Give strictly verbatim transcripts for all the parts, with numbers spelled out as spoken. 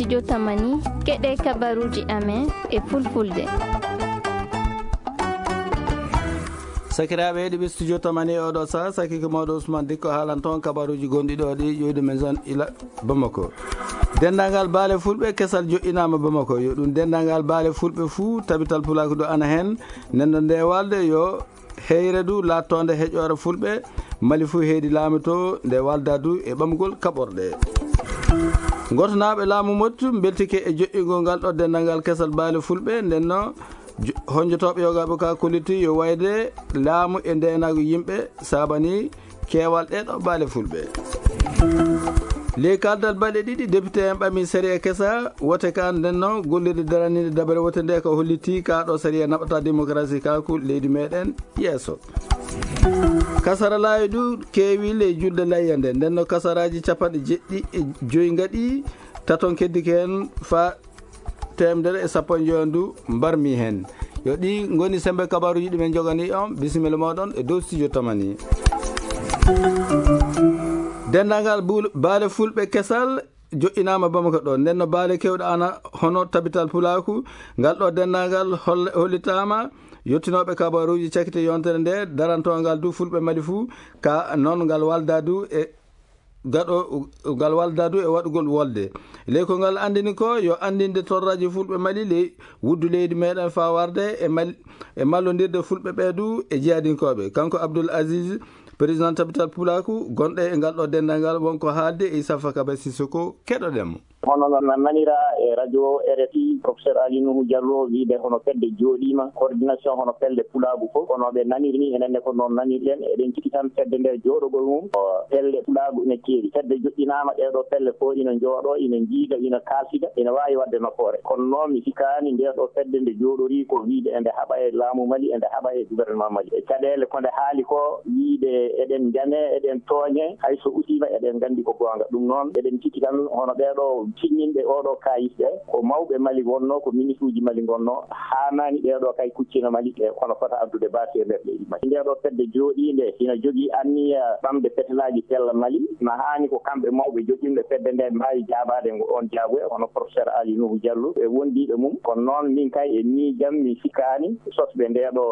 Studio Tamani, keɗe kabaruuji amen e fulfulde. Sakiraaɓe heɗiɓe Studio Tamani e oɗo saha, saki ko mawɗo Ousmane Dikko haalan toon kabaruuji gonɗi ɗo ɗi ƴoyde men zone ila Bamako. Denndaangal baale fulɓe kesal joɗɗinaama Bamako. Yo ɗum denndaangal baale fulɓe fuu, tabital pulaaku ɗo ana heen. Nden ɗo nde walde yo heyre du laattoonde heƴoore fulɓe, Mali fuu heedi laamu to nde walda du e ɓamgol kaɓorɗe. Ngotonaaɓe laamu Mottu mbeltike e joƴƴingol ngal ɗo denndaangal kesal baale fulɓe, nden no jo-, honjotooɓe yogaaɓe ka kolliti yo wayde laamu e ndeenaagu yimɓe saabani keewal ɗee ɗo baale fulɓe. Ley kaldal balɗe ɗiɗi, député en ɓami sariya kesa wote ka, nden no gollirde daraniinde dabare wote nde ko holliti ka ɗo sariya naɓata démocratie ka ko leydi meɗen yeeso. Kasara laawi du keewi ley julde layya nde, nden no kasaraaji capanɗe jeɗɗi e joyi ngaɗi, taton keddi ko heen fa teemedere e sappo e joyi du mbarmi heen. Yo ɗi ngoni sembe kabaruuji ɗi men jogani on, bisimilla mooɗon e dow Studio Tamani. Denndaangal bul-, baale fulɓe kesal joɗɗinaama Bamako ɗo. Nden no baale kewɗe ana hono tabital pulaaku, ngal ɗo denndaangal holl-, hollitaama yottinooɓe kabaruuji cakite yontere nde, darantoongal du fulɓe Mali fuu, ka noon ngal walda du e gaɗo, ngal walda du e waɗugol wolde. Ley ko ngal anndini ko yo anndinde torraji fulɓe Mali ley wuddu leydi meɗen faa warde e mal-, e mallondirde fulɓe ɓe du e jihadinkooɓe. Kanko Abdoul Aziz, président tabital pulaaku, gonɗo e ngal ɗo denndaangal, wonko haalde e Issa Fakaba Sissoko, keɗoɗen mo. Hono no na-, nanira e radio R F I, professeur Ali Nuhu Diallo wiide hono fedde jooɗiima, coordination hono pelle pulaagu fof, kono ɓe naniri ni, enen ne ko noon nanirɗen. Eɗen cikki tan fedde nde jooɗogol mum, o pelle pulaagu ina keewi. Fedde joɗɗinaama, ɗee ɗo pelle fof ina njooɗo, ina njiida, ina kaalsida, ina waawi waɗde nafoore. Kono noon mi sikkaani nde ɗo fedde nde jooɗorii ko wiide ende haɓa e laamu Mali, ende haɓa e gouvernement Mali. E caɗeele ko nde haali ko wiide eɗen njame, eɗen tooñe, hay so usiima eɗen nganndi ko goonga. Ɗum noon eɗen cikki tan hono ɓee ɗo cinninɓe oo ɗo kaayis ɓe, ko mawɓe Mali ngonnoo, ko ministre uji Mali ngonnoo, haanaani ɓee ɗo kay kuccina Mali e kono fota addude baasi e nder leydi Mali. Nde ɗo fedde jooɗiinde ina jogii anniya ɓamde fetelaaji pella Mali, na haani ko kamɓe mawɓe joɗɗinɓe fedde nde mbaawi jaabaade ngo oon jaabuya, hono professeur Ali Nuhu Diallo e wondiiɓe mum. Kono noon min kay e miijam mi sikkaani sosɓe nde ɗo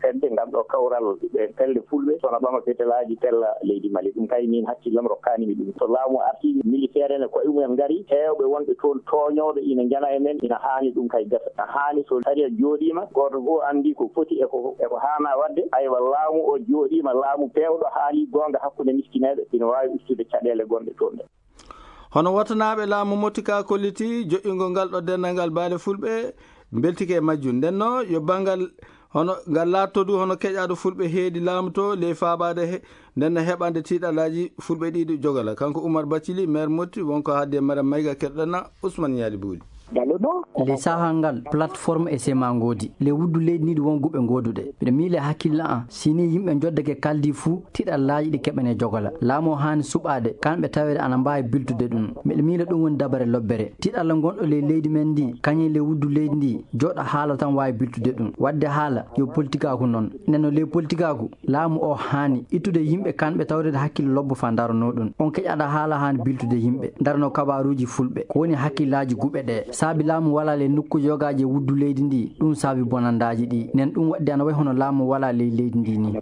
fedde, ngal ɗo kawral ɓe pelle fulɓe, sona ɓama fetelaaji pella leydi Mali. Ɗum kay min hakkillam rokkaani mi ɗum. So laamu arti, militaire en e koye mumen ngari, heewɓe wonɓe toon tooñooɓe ina njana e men, ina haani ɗum kay gasa. Ina haani so sariya jooɗiima, gooto fof anndi ko foti e ko, e ko haana waɗde. Aywa, laamu o jooɗiima, laamu peewɗo haali goonga hakkunde miskineeɓe, ina waawi ustude caɗeele gonɗe toon ɗe. Hono wotanaaɓe laamu Mottu ka kolliti joƴƴingol ngal ɗo denndaangal baale fulɓe mbeltike e majjum. Nden no yo banngal hono ngal laatto du hono keƴaaɗo fulɓe heedi laamu to ley faabaade he, nden no heɓande tiiɗalaaji fulɓe ɗiɗi jogala. Kanko Oumar Bathily, maire Mottu, wonko haaldi e Mariam Maïga, keɗoɗen na Ousmane Ñaali Buuli. Nde sahaa ngal, plateforme e sema ngoodi. Le wuddu leydi ndi ɗi won guɓe ngooduɗe. Mbiɗa miila e hakkille an, si ni yimɓe njoddake kaldi fuu, tiɗallaaji ɗi keɓane jogola. Laamu o haani suɓaade, kamɓe taweede ana mbaawi biltude ɗum. Mbiɗa miila ɗum woni dabare lobbere. Tiɗalla ngonɗo ley leydi men ndi, kañum le wuddu leydi ndi, jooɗa haala tan waawi biltude ɗum. Waɗde haala, yo politikaaku noon. Nden no le politikaaku, laamu o haani ittude yimɓe kanɓe tawreede hakkille lobbo faa ndaranoo ɗum. On keƴaɗa haala haani biltude yimɓe, ndaranoo kabaaruuji fulɓe. Ko woni hakkillaaji guɓe ɗe? Saabi laamu walaa le nokkuuji yogaaji e wuddu leydi ndi, ɗum saabi bonandaaji ɗi. Nden ɗum waɗde ana wayi hono laamu walaa ley leydi ndi ni.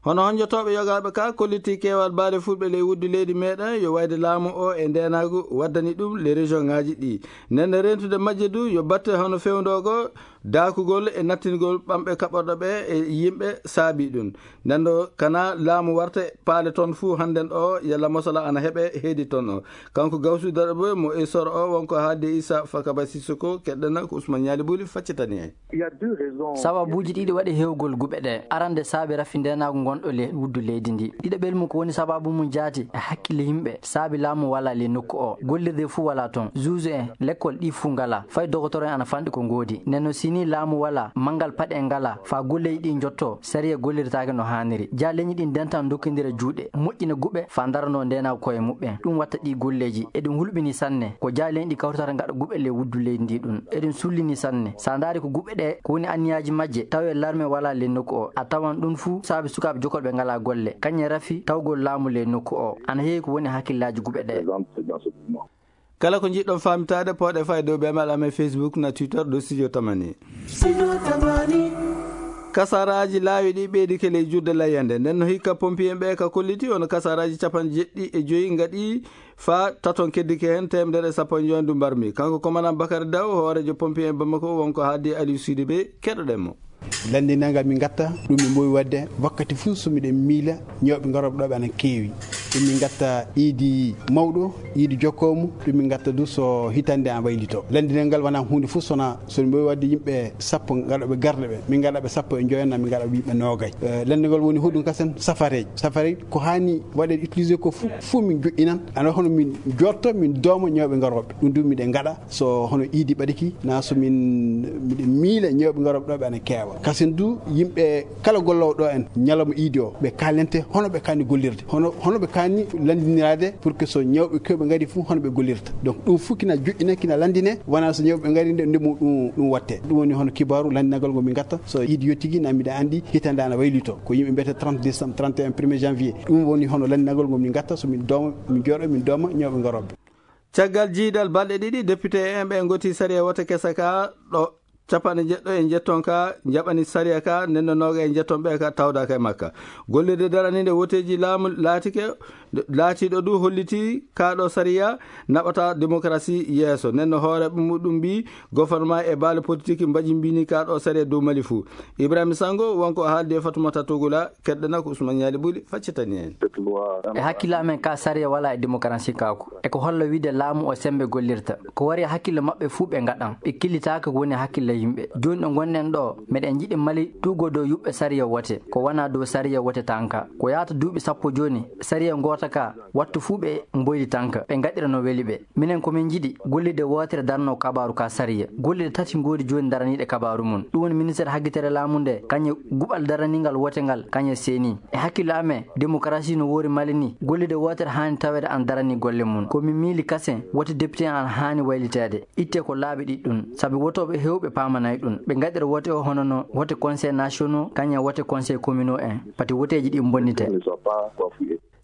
Hono honjotooɓe yogaaɓe ka kolliti keewal baale fulɓe ley wuddu leydi meɗen yo wayde laamu o e ndeenaagu waddani ɗum le région ŋaaji ɗi. Nden rentude majje du yo batte hono fewndoogo daakugol e nattingol ɓamɓe kaɓorɗo ɓe e yimɓe saabi ɗum. Nden ɗo kana laamu warte paale toon fuu hannden ɗo yalla mosala ana heɓe heedi toon o. Kanko Gawsu Darɓe mo e soro o wonko haalde Issa Fakaba Sissoko, keɗɗena ko Ousmane Ñaali Buuli faccitani en. Sababuuji ɗiɗi waɗi heewgol guɓe ɗe. Arande saabi rafi ndeenaagu ngonɗo le wuddu leydi ndi. Ɗiɗaɓel mum ko woni sababu mum jaati e hakkille yimɓe saabi laamu walaa le nokku o. Gollirde fuu walaa toon. Juuju en, lekkol ɗi fuu ngalaa. Fay dogotoro en ana fanɗi ko ngoodi. Nden no si ni laamu walaa, manngal paɗe en ngalaa. Faa golleeji ɗi njotto, sariya gollirtaake no haaniri. Jaa leñi ɗi ndentan ndokkindira juuɗe, moƴƴina guɓe, faa ndaranoo ndeenaagu koye muɓɓen. Ɗum watta ɗi golleeji. Eɗum hulɓini sanne. Ko jaa leñi ɗi kawritata ngaɗa guɓe le wuddu leydi ndi ɗum. Eɗum sullini sanne. Sa ndaari ko guɓe ɗe, ko woni anniyaaji majje, tawi larme walaa le nokku o. A tawan ɗum fuu saabi sukaaɓe jokolɓe ngalaa golle. Kañum rafi tawgol laamu le nokku o. Ana heewi ko woni hakkillaaji guɓe ɗe. Kala ko njiɗɗon faamitaade, pooɗe faa e dow ɓe amen Facebook na Twitter dow Studio Tamani. Kasaraaji laawi ɗi ɓeydike ley juulde layyande. Nden no hikka pompiyen ɓe ka kolliti, ono kasaraaji capanɗe jeɗɗi e joyi ngaɗi faa taton keddike heen teemedere e sappo e joyi ndu mbarmi. Kanko komandan Bakary Daw, hooreejo pompiyen Bamako, wonko haaldi Aliou Sidibé, keɗoɗen mo. Lanndinal ngal min ngatta, ɗum min mboowi waɗde wakkati fof so miɗen miila ñawɓe ngarooɓe ɗo ɓe ana keewi. Ɗum min ngatta iidi mawɗo, iidi jokkoomu, ɗum min ngatta du so hitande an waylito. Lanndinal ngal wonaa huunde fof sona so min mboowi waɗde yimɓe sappo ngaɗooɓe garɗe ɓe. Min ngaɗa ɓe sappo e joyo na min ngaɗa ɓe yimɓe noogay. Eh, lanndinal ngal woni hoɗum kasen safareeji. Safareeji ko haani waɗeede utilisé ko fof, fof min joɗɗinan. Ana hono min jotto, min dooma ñawɓe ngarooɓe. Ɗum du miɗen ngaɗa. So hono iidi ɓadiki, na so min, miɗen miila ñawɓe ngarooɓe ɗo ɓe ana keewa. Kasen du yimɓe kala golloowo ɗo en ñalawma iidi o, ɓe kaalente hono ɓe kaani gollirde. Hono, hono ɓe kaani lanndiniraade pour que so ñawɓe kewɓe ngari fof hono ɓe gollirta. Donc ɗum fof kina joɗɗina, kina lanndine, wonaa so ñawɓe ngari nde, nde mo ɗum, ɗum watte. Ɗum woni hono kibaaru lanndinagol ngo min ngatta. So iidi yottigi na miɗa anndi hitande ana waylito. Ko yimɓe mbiyata trente décembre, trente et un, premier janvier. Ɗum woni hono lanndinagol ngo min ngatta so min dooma, min jooɗo, min dooma ñawɓe ngarooɓe. Caggal jiidal balɗe ɗiɗi, député en ɓe ngoti sariya wote kesa ka ɗo capanɗe jeɗɗo e njetton ka jaɓani sariya ka, nden no nooga e njetton ɓe ka tawdaaka e makka. Gollirde daraniinde woteeji laamu laatike, laatiiɗo du holliti ka ɗo sariya naɓata démocratie yeeso. Nden no hooreeɓe muɗum mbi gouvernement e baale politique mbajimbini ka ɗo sariya dow Mali fuu. Ibrahima Sango wonko haaldi e Fatoumata Togula, keɗɗana ko Ousmane Ñaali Ɓuli faccitani en. E hakkille amen ka sariya wala e démocratie kaako. E ko holla wiide laamu o sembe gollirta. Ko wari e hakkille maɓɓe fuu ɓe ngaɗan. Ɓe killitaaka ko woni hakkille yimɓe. Jooni ɗo ngonɗen ɗo, meɗen njiɗi Mali tuugo dow yuɓɓe sariya wote. Ko wona dow sariya wote tanka. Ko yaata duuɓi sappo jooni, sariya ngoota ka, wattu fuu ɓe mboyli tanka. Ɓe ngaɗira no weli ɓe. Minen ko min njiɗi, gollirde wootere darno kabaaru ka sariya. Gollirde tati ngoodi jooni daraniiɗe kabaaru mum. Ɗum woni ministeer haggitere laamu nde, kañe guɓal daraniingal wote ngal, kañe seeni. E hakkille amen, démocratie no woori Mali ni, gollirde wootere haani taweede ana daranii golle mum. Ko min miili kasen, wote député ana haani wayliteede. Ittee ko laabi ɗiɗi ɗum, sabi wotooɓe heewɓe paamanay ɗum. Ɓe ngaɗira wote o hono no wote conseil nationaux, kañe wote conseil communaux en. Pati woteeji ɗi mbonnitee.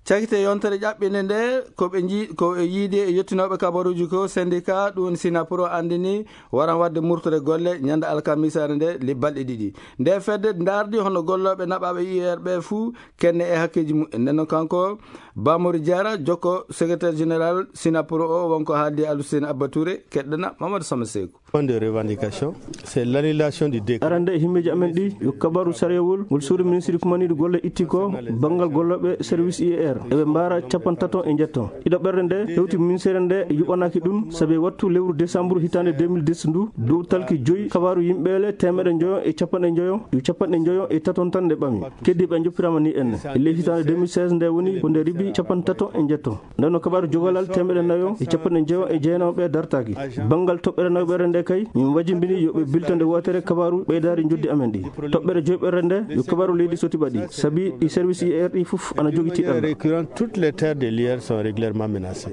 Cakite yontere ƴaɓɓinde nde, ko ɓe nji-, ko e yiide e yettinooɓe kabaruuji ko syndicat, ɗum woni Synapro, anndini waran waɗde murtore golle ñande alkamisaare nde, li balɗe ɗiɗi. Nde fedde ndaardi hono gollooɓe naɓaaɓe U R ɓe fuu kenne e hakkeeji mumen. Nden noon kanko Bamori Diarra, jokko secrétaire général Synapro o, wonko haaldi Aluseyni Abba Touré, keɗɗana Mamadou Sama Seeku. Point de revendication, c'est l'annulation du décret. Arande e himmeeji amen ɗi, yo kabaru sariyawol ngol suudu ministre kumaniiɗo golle itti ko banngal gollooɓe service U R. Eɓe mbaara capanɗe tato e njetto. Ɗiɗo ɓerde nde hewti ministère nde yuɓanaaki ɗum, sabi wattu lewru décembre hitaande deux mille dix ndu, dow talki joyi kabaru yimɓe le teemeɗe njoyo e capanɗe njoyo, yo capanɗe njoyo e taton tan nde ɓami. Keddiiɓe njoppiraama ni enne. E ley hitaande deux mille seize nde woni ko nde ribi capanɗe tato e njetto. Nden no kabaaru jogalal teemeɗe nayo e capanɗe njeego e jeenayo ɓe dartaaki. Banngal toɓɓere nayo ɓere nde kay, min wajimbini yo ɓe bilto nde wootere kabaaru ɓeydaari njoddi amen ɗi. Toɓɓere joyi ɓere nde, yo kabaaru leydi soti ɓaɗi. Sabi ɗi service U R ɗi fof ana jogiti ɗan. Récurrent, toutes les terres de l'U R sont régulièrement menacées.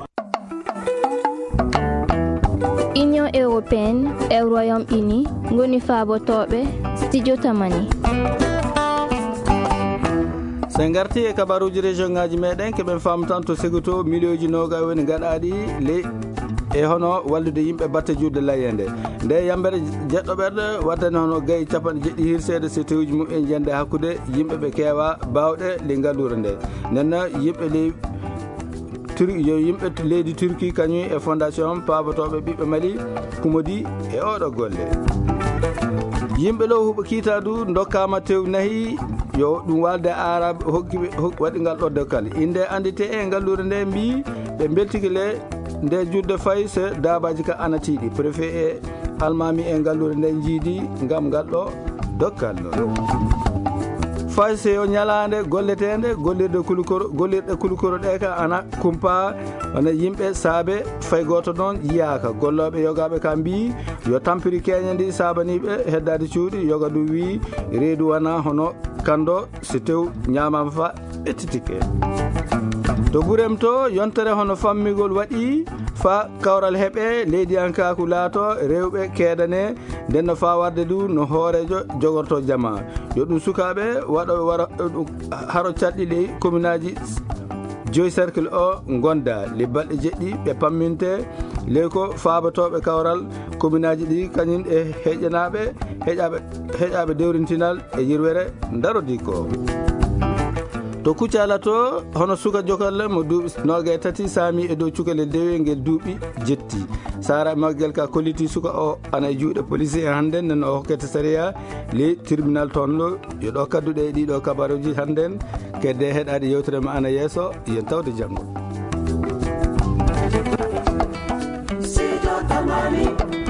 Union européenne e Royaume-Uni ngoni faabotooɓe studio Tamani. So en ngarti e kabaruuji région ngaji meɗen, keɓen faamu tan to Ségouto, miliyonji noga woni gaɗaɗi ley e hono wallude yimɓe batte juulde layende. Nde yambere jeɗɗo ɓerɗe waddani hono gayi capanɗe jeɗɗi hirseede so tewuji mum en jande hakkude yimɓe ɓe keewa bawɗe ley ngallure nde. Nenna yimɓe ley Tur-, yo yimɓe leydi Turki kañum e fondation paabotooɓe ɓiɓɓe Mali kumodi e oɗo golle. Yimɓe ɗo huɓo kiita du ndokkaama tew nahi, yo ɗum walde Arab hokki ɓe, hok-, waɗi ngal ɗo dokkal. Inde anndite e ngallure nde mbi ɓe mbeltike le nde judde fay so daabaaji ka ana tiiɗi. Préfet e almaami e ngallure nde jiidi ngam ngal ɗo dokkal. Fay so yo ñalaande golleteende, gollirde kulukoro, gollirɗe kulukoro ɗe ka ana kumpa, wona yimɓe saabe fay gooto noon yiyaaka. Gollooɓe yogaaɓe ka mbii yo tampiri keeña ndi saabaniiɓe heddaade cuuɗi. Yoga du wii reedu wona hono kanndo, so tew ñaamaama fa ɓettitike. To Gurem to, yontere hono fammigol waɗi fa kawral heɓe leydiyankaaku laato rewɓe keedane, nden no faa warde du no hooreejo jogorto jama. Yo ɗum sukaaɓe waɗooɓe wara, ɗum haro caɗɗi ley kominaaji joyi cercle o ngonda. Le balɗe jeɗɗi ɓe pamminte Ley ko faabotooɓe kawral kominaaji ɗi, kañum e heƴanaaɓe, heƴaaɓe, heƴaaɓe dewrintinal e yirwere ndarodi ko. To Kucala to, hono suka jokalle mo duuɓi noogaye tati saami e dow cukalel dewel ngel duuɓi jetti. Sara Maguel ka kolliti suka o ana e juuɗe police en hannden, nden o hokkete sariya ley tribunal toon ɗo. Yo ɗo kadduɗe e ɗiɗo kabaruji hannden, kedde heɗaade yewtere ma ana yeeso, yen tawde janngo. Sido Tamani.